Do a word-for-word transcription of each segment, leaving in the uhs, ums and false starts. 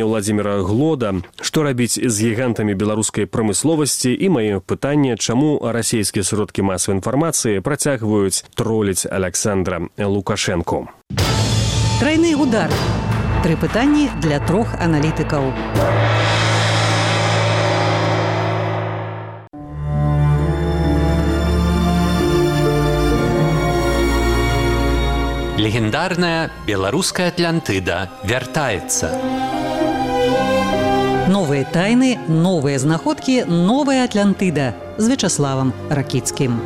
Владзіміра Глода. Што рабіць з гігантамі беларускай прамысловасці і маё пытанне, чаму расійскія сродкі масавай інфармацыі працягваюць троліць Аляксандра Лукашэнку. Трайны удар. Тры пытанні для трох аналітыкаў. Легендарная беларуская Атлантыда вяртаецца. Новыя тайны, новыя знаходкі, новая Атлантыда з Вячаславам Ракіцкім.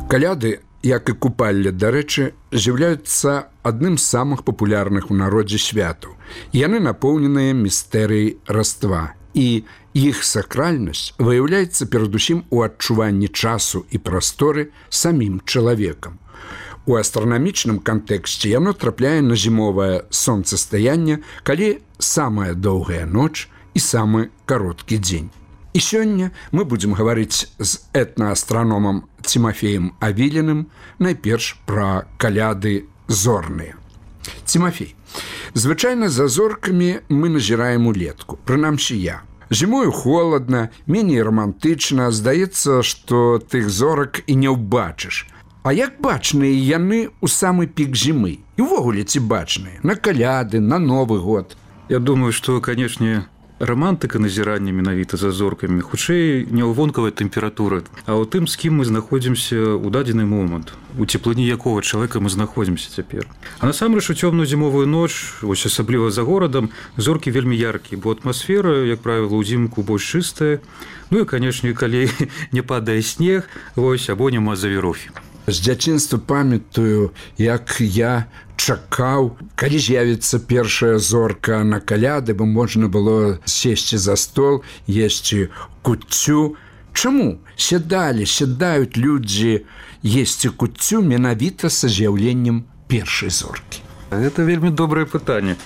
Каляды, як і купалле, дарэчы, з'яўляюцца адным з самых папулярных у народзе святаў. Яны напоўненыя містэрыяй раства. І іх сакральнасць выяўляецца перадусім у адчуванні часу і прасторы самім чалавекам. У астранамічным кантэксце яно трапляе на зімовае сонцастаянне, калі самая доўгая ноч і самы кароткі дзень. І сёння мы будзем гаварыць з этнаастраномам Цімафеем Авіліным найперш пра каляды зорныя. Цімафей, звычайна за зоркамі мы назіраем улетку, прынамсі я. Зімою холадна, меней романтычна, здаецца, што тых зорак і не ўбачыш. А як бачныя яны ў самы пік зімы? І ўвогуле ці бачныя? На каляды, на Новы год? Я думаю, што, канешне, романтыка назірання менавіта за зоркамі хутчэй не ў вонкавай тэмпературы, а ў тым, з кім мы знаходзімся ў дадзены момант, у цеплыні якога чалавека мы знаходзімся цяпер. А насамрэч у цёмную зімовую ноч, вось асабліва за горадам, зоркі вельмі яркія, бо атмасфера, як правіла, ўзімку больш чыстая. Ну і, канешне, калі не падае снег, вось або няма завірухі. З дзяцінства памятаю, як я чакаў, калі з'явіцца першая зорка на каляды, бо можна было сесці за стол, есці куццю. Чаму сядалі, сядаюць людзі есці куццю менавіта са з'яўленнем першай зоркі? Гэта вельмі добрае пытанне,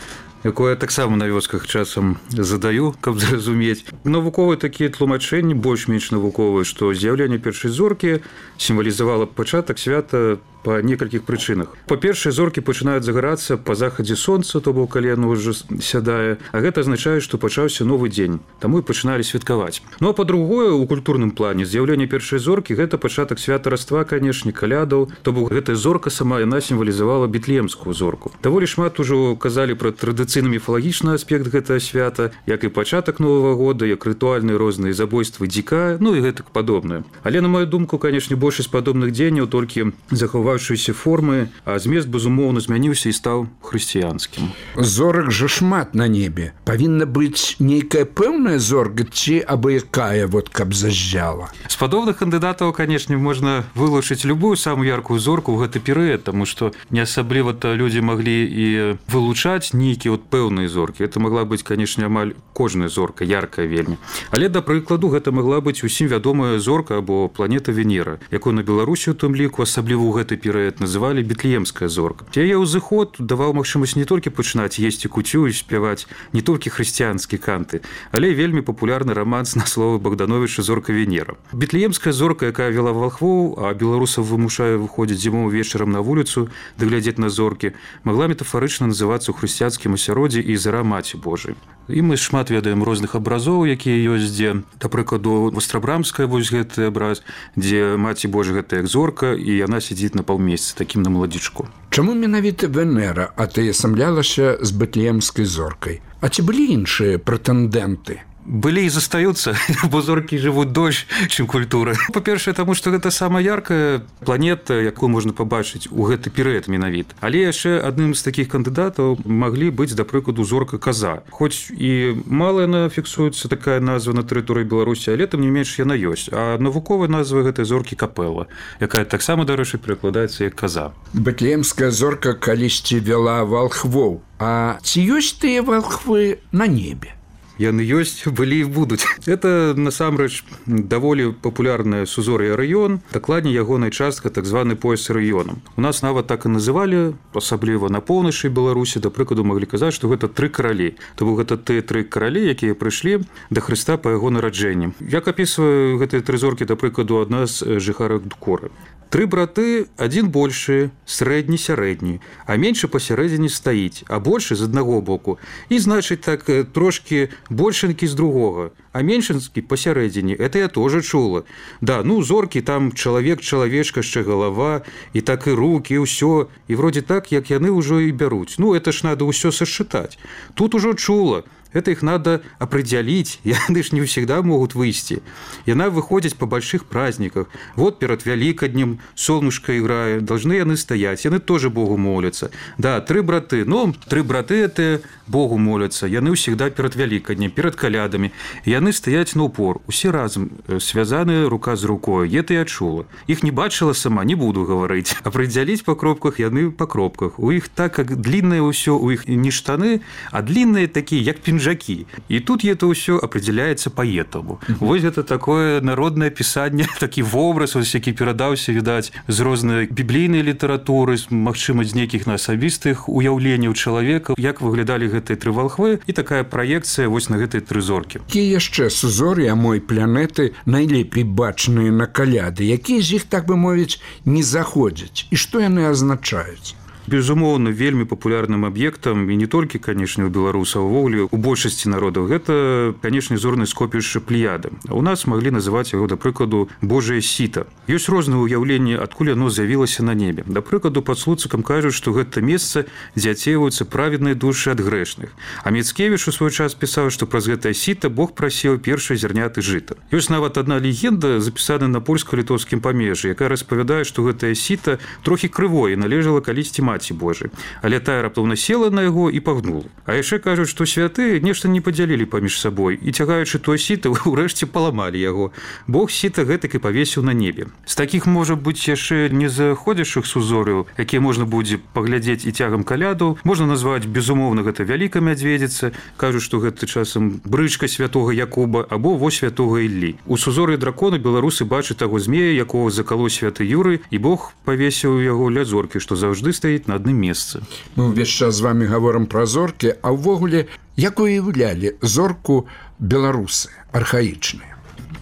якое я таксама на вёсках часам задаю, каб зразумець. Навуковыя такія тлумачэнні, больш-менш навуковыя, што з'яўленне першай зоркі сімвалізавала пачатак свята па некалькіх прычынах. Па-першае, зоркі пачынаюць загарацца па захадзе сонца, то бок калі яно ўжо сядае, а гэта азначае, што пачаўся новы дзень, таму і пачыналі святкаваць. Ну а па-другое, у культурным плане з'яўленне першай зоркі гэта пачатак свята раства, канешне, калядаў, то бок гэтая зорка сама яна сімвалізавала Бетлемскую зорку. Даволі шмат ужо казалі пра традыцыйны міфалагічны аспект гэтага свята, як і пачатак Новага года, як рытуальныя розныя забойствы дзіка, ну і гэтак падобнае. Але на маю думку, канешне, большасць падобных дзеянняў толькі захаваюць формы, а змест, безумоўна, змяніўся і стаў хрысціянскім. Зорак жа шмат на небе. Павінна быць нейкая пэўная зорка ці абы-якая, вот каб зажджала? З падобных кандыдатаў, канешне, можна вылучыць любую самую яркую зорку ў гэты перыяд, таму што не асабліва-то людзі маглі і вылучаць нейкія вот пэўныя зоркі. Это магла быць, канешне, амаль кожная зорка, яркая вельмі. Але, да прыкладу, гэта магла быць усім вядомая зорка або планета Венера, якую на Беларусі, у тым ліку, асабліва ў гэты перыяд называлі Бетлемская зорка. Яе ўзыход даваў магчымасць не толькі пачынаць есці куцю і спяваць не толькі хрысціянскія канты, але і вельмі папулярны раманс на словы Богдановича «Зорка Венера». Бетлемская зорка, якая вела валхвоў, а беларусаў вымушае выходзіць зімовым вечарам на вуліцу ды глядзець на зоркі, магла метафарычна называцца ў хрысціянскім асяроддзі і зара Маці Божай. І мы шмат ведаем розных абразоў, якія ёсць, дзе, да прыкладу, Вострабрамская, вось гэты абраз, дзе Маці Божа гэта як зорка, і яна сядзіць на паўмесяцы, такім на маладзічку. Чаму менавіта Венера атаясамлялася з Бетлемскай зоркай? А ці былі іншыя прэтэндэнты? Былі і застаюцца, бо зоркі жывуць дольш, чым культура. Па-першае, таму што гэта самая яркая планета, якую можна пабачыць у гэты перыяд менавіта. Але яшчэ адным з такіх кандыдатаў маглі быць, да прыкладу, зорка Каза. Хоць і мала яна фіксуецца такая назва на тэрыторыі Беларусі, але тым не менш яна ёсць. А навуковая назва гэтай зоркі Капэла, якая таксама, дарэчы, перакладаецца як Каза. Бетлемская зорка калісьці вяла валхвоў. А ці ёсць тыя валхвы на небе? яны ёсць, былі і будуць. Это насамрэч даволі папулярная сузор'я раён, дакладней ягоная частка, так званы пояс раёнам. У нас нават так і называлі, асабліва на поўначы Беларусі, да прыкладу маглі казаць, што гэта тры каралі. То бок гэта тыя тры каралі, якія прыйшлі да Хрыста па яго нараджэнні. Як апісваю гэтыя тры зоркі, да прыкладу, адна з жыхарак Дукоры. Тры браты, адзін большы, срэдні, сярэдні, а меншы пасярэдзіне стаіць, а большы з аднаго боку. І, значыць, так трошкі большенькі з другога, а меншынскі пасярэдзіне. Это я тоже чула. Да, ну, зоркі, там чалавек, чалавечка, яшчэ галава, і так і рукі, і ўсё. І вроде так, як яны ўжо і бяруць. Ну, это ж надо ўсё сасчытаць. Тут ужо чула. Это их надо определить, яны ж не всегда могут выйти. Яна выходит по больших праздниках. Вот перед Великоднем солнышко играет, должны яны стоять, яны тоже Богу молятся. Да, три браты, ну, три браты это Богу молятся, яны всегда перед Великоднем, перед колядами. Яны стоять на упор, усе разом, связаны рука с рукой, это я чула. Их не бачила сама, не буду говорить. Определить по кропках яны по кропках. У их так как длинное все, у их не штаны, а длинные такие, як пинжаки. И тут это все определяется поэтому. Uh-huh. Вот это такое народное писание, такий образ, ось, який передався, видать, з розної біблійної літератури, магчыма, з нейкіх асабістых уяўленняў чалавека, як выглядалі гэтыя тры валхвы, і такая праекцыя вось на гэтыя тры зоркі. Якія яшчэ сузор'я мой планеты найлепей бачныя на каляды, якія з іх, так бы мовіць, не заходзяць, і што яны азначаюць? Безумоўна, вельмі папулярным аб'ектам, і не толькі, канешне, у беларусаў, увогуле, у большасці народаў, гэта, канешне, зорнае скопішча Плеяды. А у нас маглі называць яго, да прыкладу, Божае сіта. Ёсць розныя ўяўленні, адкуль яно з'явілася на небе. Да прыкладу, пад Слуцкам кажуць, што гэта месца, дзе ацейваюцца праведныя душы ад грэшных. А Міцкевіч у свой час пісаў, што праз гэтае сіта Бог прасеў першыя зярняты жыта. Ёсць нават адна легенда, запісаная на польска-літоўскім памежжы, якая распавядае, што гэтае сіта трохі крывое належала калісьці Маці Божай. Але тая раптоўна села на яго і пагнула. А яшчэ кажуць, што святыя нешта не падзялілі паміж сабой і, цягаючы тое сіта, урэшце паламалі яго. Бог сіта гэтак і павесіў на небе. З такіх, можа быць, яшчэ не заходзячых сузор'яў, якія можна будзе паглядзець і цягам каляду, можна назваць, безумоўна, гэта вялікая мядзведзіца, кажуць, што гэта часам брычка святога Якуба або во святога Іллі. У сузор'і дракона беларусы бачаць таго змея, якога закалоў святы Юрый, і Бог павесіў яго ля зоркі, што заўжды стаіць на адным месцы. Мы ўвесь час з вами гаворым пра зоркі, а ўвогуле, як уяўлялі зорку беларусы архаічныя?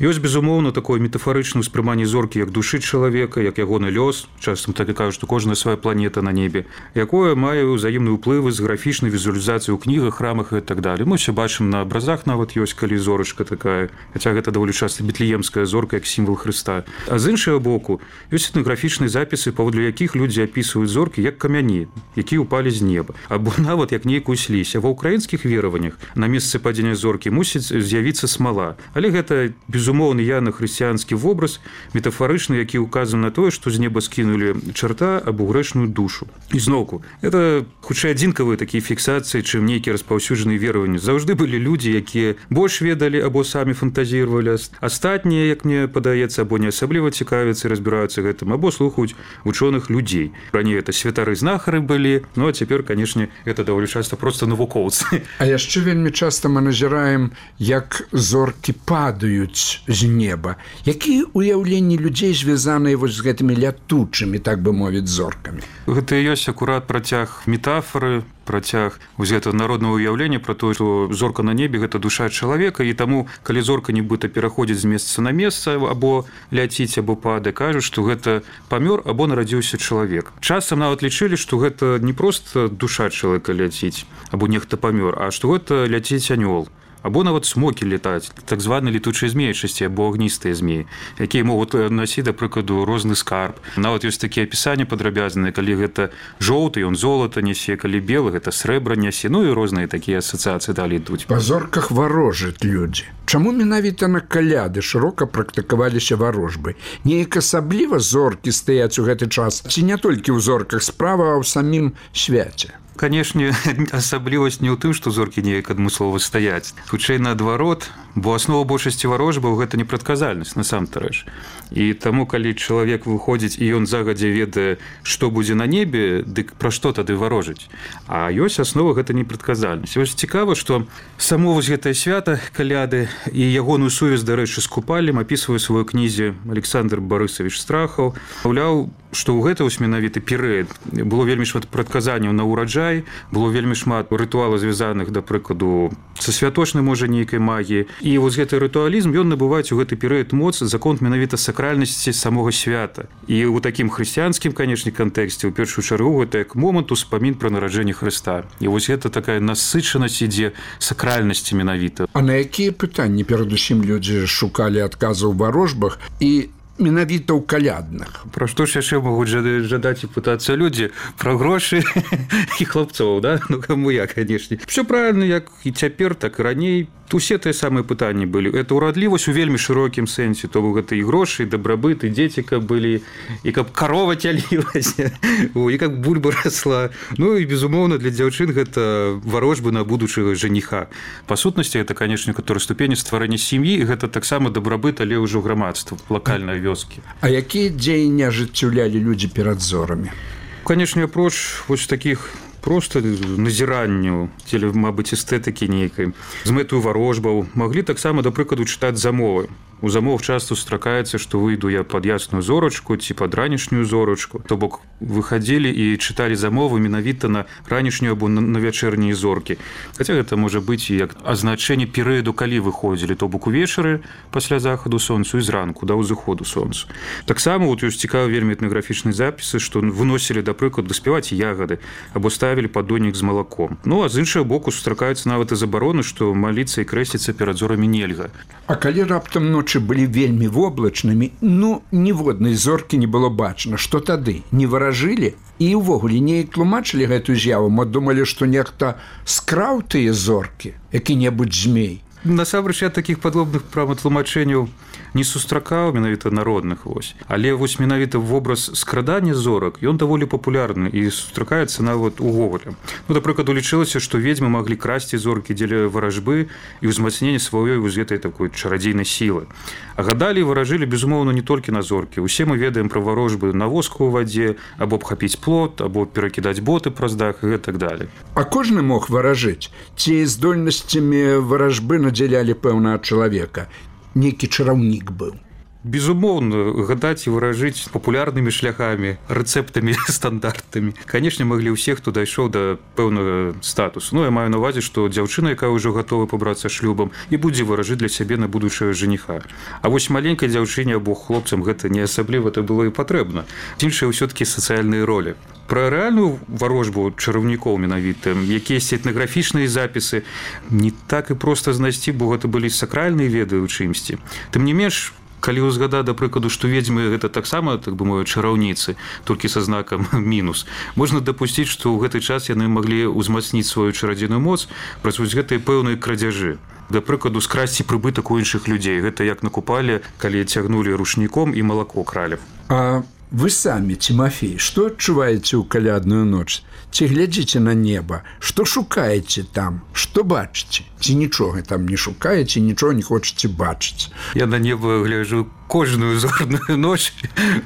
Ёсць, безумоўна, такое метафарычнае ўспрыманне зоркі як душы чалавека, як ягоны лёс, часам так і кажуць, што кожная свая планета на небе, якое мае ўзаемныя ўплывы з графічнай візуалізацыяй у кнігах, храмах і так далее. Мы ўсё бачым на абразах нават ёсць, калі зорачка такая, хаця гэта даволі часта бетлеемская зорка як сімвал Хрыста. А з іншага боку, ёсць этнаграфічныя запісы, паводле якіх людзі апісваюць зоркі як камяні, якія ўпалі з неба, або нават як нейкую слізь. А ва ўкраінскіх вераваннях на месцы падзення зоркі мусіць з'явіцца смала. Але гэта, безумоўна, Безумоўны яна хрысціянскі вобраз, метафарычны, які указан на тое, што з неба скінулі чарта або грэшную душу. І зноўку, это хутчэй адзінкавыя такія фіксацыі, чым нейкія распаўсюджаныя вераванні. Заўжды былі людзі, якія больш ведалі або самі фантазіравалі. Астатнія, як мне падаецца, або не асабліва цікавяцца і разбіраюцца гэтым, або слухаюць вучоных людзей. Раней это святары-знахары былі, ну а цяпер, канешне, это даволі часта проста навукоўцы. А яшчэ вельмі часта мы назіраем, як зоркі падаюць з неба. Якія ўяўленні людзей звязаныя вось з гэтымі лятучымі, так бы мовіць, зоркамі? Гэта і ёсць акурат працяг метафоры, працяг вось гэтага народнага ўяўлення пра тое, што зорка на небе гэта душа чалавека, і таму, калі зорка нібыта пераходзіць з месца на месца або ляціць, або падае, кажуць, што гэта памёр або нарадзіўся чалавек. Часам нават лічылі, што гэта не проста душа чалавека ляціць, або нехта памёр, а што гэта ляціць анёл. Або нават смокі летаць, так званыя летучыя змеечасці або агністыя змеі, якія могуць насіць, да прыкладу, розны скарб. Нават ёсць такія апісанні падрабязныя, калі гэта жоўты, ён золата нясе, калі белы, гэта срэбра нясе, ну і розныя такія асацыяцыі далей ідуць. Па зорках варожаць людзі. Чаму менавіта на каляды шырока практыкаваліся варожбы? Неяк асабліва зоркі стаяць у гэты час? Ці не толькі ў зорках справа, а ў самім свяце? канешне, асаблівасць не ў тым, што зоркі неяк адмыслова стаяць. Хутчэй наадварот, бо аснова большасці варожбаў гэта непрадказальнасць насамрэч. І таму, калі чалавек выходзіць і ён загадзя ведае, што будзе на небе, дык пра што тады варожыць. А ёсць аснова гэта непрадказальнасць. Вось цікава, што само вось гэтае свята каляды і ягоную сувязь, дарэчы, з купаллем апісвае ў сваёй кнізе Александр Барысавіч Страхаў. Маўляў, што ў гэта вось менавіты перыяд было вельмі шмат прадказанняў на ўраджай, было вельмі шмат рытуалаў, звязаных, да прыкладу, са святочнай, можа, нейкай магіі. І вось гэты рытуалізм, ён набываць у гэты перыяд моц за конт менавіта сакральнасці самога свята. І ў такім хрысціянскім, канешне, кантэксце, у першую чаргу, гэта як момант успамін пра нараджэнне Хрыста. І вось гэта такая насычанасць ідзе сакральнасці менавіта. А на якія пытанні перадусім людзі шукалі адказы ў варожбах і менавіта ў калядных? Пра што ж яшчэ могуць жадаць і пытацца людзі? Пра грошы і хлапцоў, да? Ну, каму я, канешне. Всё правильно, як і цяпер, так і раней. Усе тыя самыя пытанні былі. Это ўрадлівасць у вельмі шырокім сэнсе. То бок гэта і грошы, і дабрабыт, і дзеці каб былі, і каб карова цялілася, і каб бульба расла. Ну і, безумоўна, для дзяўчын гэта варожбы на будучага жаніха. Па сутнасці, гэта, канешне, каторы ступені стварэння сям'і, і гэта таксама дабрабыт, але ўжо грамадства, лакальнай вёскі. А якія дзеянні ажыццяўлялі людзі перад зорамі? Канешне, апроч вось такіх просто назіранню, ці, мабыць, эстэтыкі нейкай, з мэтаю варожбаў, маглі таксама, да прыкладу, чытаць замовы. У замов часто сустракаецца, што выйду я пад ясную зорачку ці пад ранішнюю зорачку. То бок выхадзілі і чыталі замовы менавіта на ранішнюю або на вячэрнія зоркі. Хаця гэта можа быць і як азначэнне перыяду, калі выходзілі, то бок увечары пасля захаду сонцу і зранку да ўзыходу сонцу. Таксама вот ёсць цікавы вельмі этнаграфічныя запісы, што выносілі, да прыкладу, спяваць ягады або ставілі паддоннік з малаком. Ну, а з іншага боку сустракаюцца нават і забароны, што маліцца і крэсціцца перад зорамі нельга. А калі раптам ноч былі вельмі воблачнымі, ну, ніводнай зоркі не было бачна. Што тады? Не варажылі? І ўвогуле неяк тлумачылі гэтую з'яву? Мо думалі, што нехта скраў тыя зоркі, які-небудзь змей? Насамрэч, я такіх падобных праватлумачэнняў не сустракаў, менавіта народных вось. Але вось менавіта вобраз скрадання зорак, ён даволі папулярны і сустракаецца нават увогуле. Ну, да прыкладу, лічылася, што ведзьмы маглі красці зоркі дзеля варажбы і ўзмацнення сваёй вось гэтай такой чарадзейнай сілы. А гадалі і варажылі, безумоўна, не толькі на зоркі. Усе мы ведаем пра варожбы на воску ў вадзе, або абхапіць плот, або перакідаць боты праз дах і так далее. А кожны мог варажыць? Ці здольнасцямі варажбы надзялялі пэўнага чалавека? Нейкі чараўнік быў? Безумоўна, гадаць і выражыць папулярнымі шляхамі, рэцэптамі стандартамі. Канешне, маглі ўсе, хто дайшоў да пэўнага статусу. Ну, я маю на увазе, што дзяўчына, якая ўжо гатова пабрацца шлюбам, і будзе выражыць для сябе на будучага жаніха. А вось маленькай дзяўчыне або хлопцам гэта не асабліва то было і патрэбна. Іншыя ўсё-такі сацыяльныя ролі. Пра рэальную варожбу чараўнікоў менавіта, якіясь этнаграфічныя запісы, не так і проста знайсці, бо гэта былі сакральныя веды ў чымсьці. Тым не менш, калі ўзгадаць, да прыкладу, што ведзьмы гэта таксама, так бы мовіць, чараўніцы, толькі са знакам мінус, можна дапусціць, што ў гэты час яны маглі ўзмацніць сваю чарадзейную моц праз вось гэтыя пэўныя крадзяжы. Да прыкладу, скрасці прыбытак у іншых людзей. Гэта як на купале, калі цягнулі рушніком і малако кралі. А вы самі, Тимофей, што адчуваеце ў калядную ноч? Ці глядзіце на неба? Што шукаеце там? Што бачыце? Ці нічога там не шукаеце, нічога не хочаце бачыць? Я на неба гляджу кожную зорную ноч,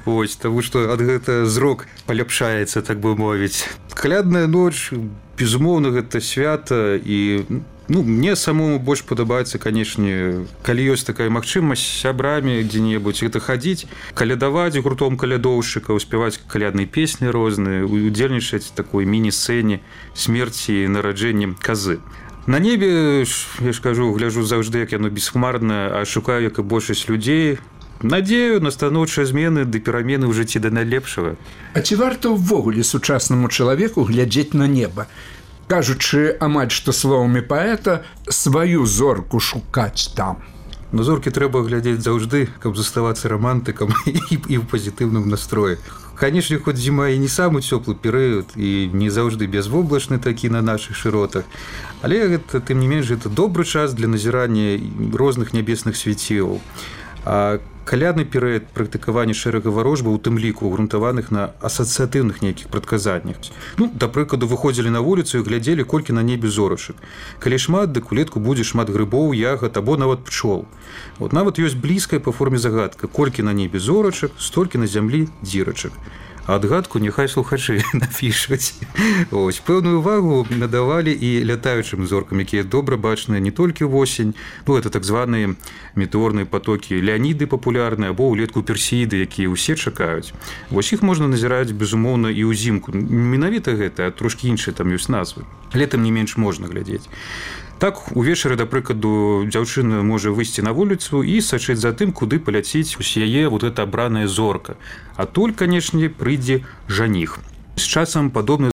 ось, таму што ад гэта зрок паляпшаецца, так бы мовіць. Калядная ноч, безумоўна, гэта свята, і ну, мне самому больш падабаецца, канешне, калі ёсць такая магчымасць сябрамі дзе-небудзь гэта хадзіць, калядаваць гуртом калядоўшчыкаў, спяваць калядныя песні розныя, удзельнічаць такой міні-сцэне смерці і нараджэннем казы. На небе, я ж кажу, гляджу заўжды, як яно бесхмарнае, а шукаю, як і большасць людзей, надзею на станоўчыя змены ды перамены ў жыцці да найлепшага. А ці варта ўвогуле сучаснаму чалавеку глядзець на неба? Кажучы, амаль што словамі паэта, сваю зорку шукаць там. На зоркі трэба глядзець заўжды, каб заставацца рамантыкам і, і ў пазітыўным настроі. Канешне, хоць зіма і не самы цёплы перыяд, і не заўжды бязвоблачны такі на нашых шыротах, але гэта, тым не менш, гэта добры час для назірання розных нябесных свяцілаў. А калядны перыяд практыкавання шэрага варожбаў, у тым ліку грунтаваных на асацыятыўных нейкіх прадказаннях. Ну, да прыкладу, выходзілі на вуліцу і глядзелі, колькі на небе зорачак. Калі шмат, дык улетку будзе шмат грыбоў, ягад або нават пчол. От нават ёсць блізкая па форме загадка: колькі на небе зорачак, столькі на зямлі дзірачак. А адгадку няхай слухачы напішуць. Ось, пэўную увагу надавалі і лятаючым зоркам, якія добра бачныя не толькі ўвосень, ну, это так званыя метэорныя патокі Леаніды папулярныя або ўлетку Персеіды, якія ўсе чакаюць. Вось іх можна назіраць, безумоўна, і ўзімку. Менавіта гэта, а трошкі іншыя там ёсць назвы. Летам не менш можна глядзець. Так, увечары, да прыкладу, дзяўчына можа выйсці на вуліцу і сачыць за тым, куды паляціць у яе вот эта абраная зорка. А толь, канешне, прыйдзе жаніх. З часам падобны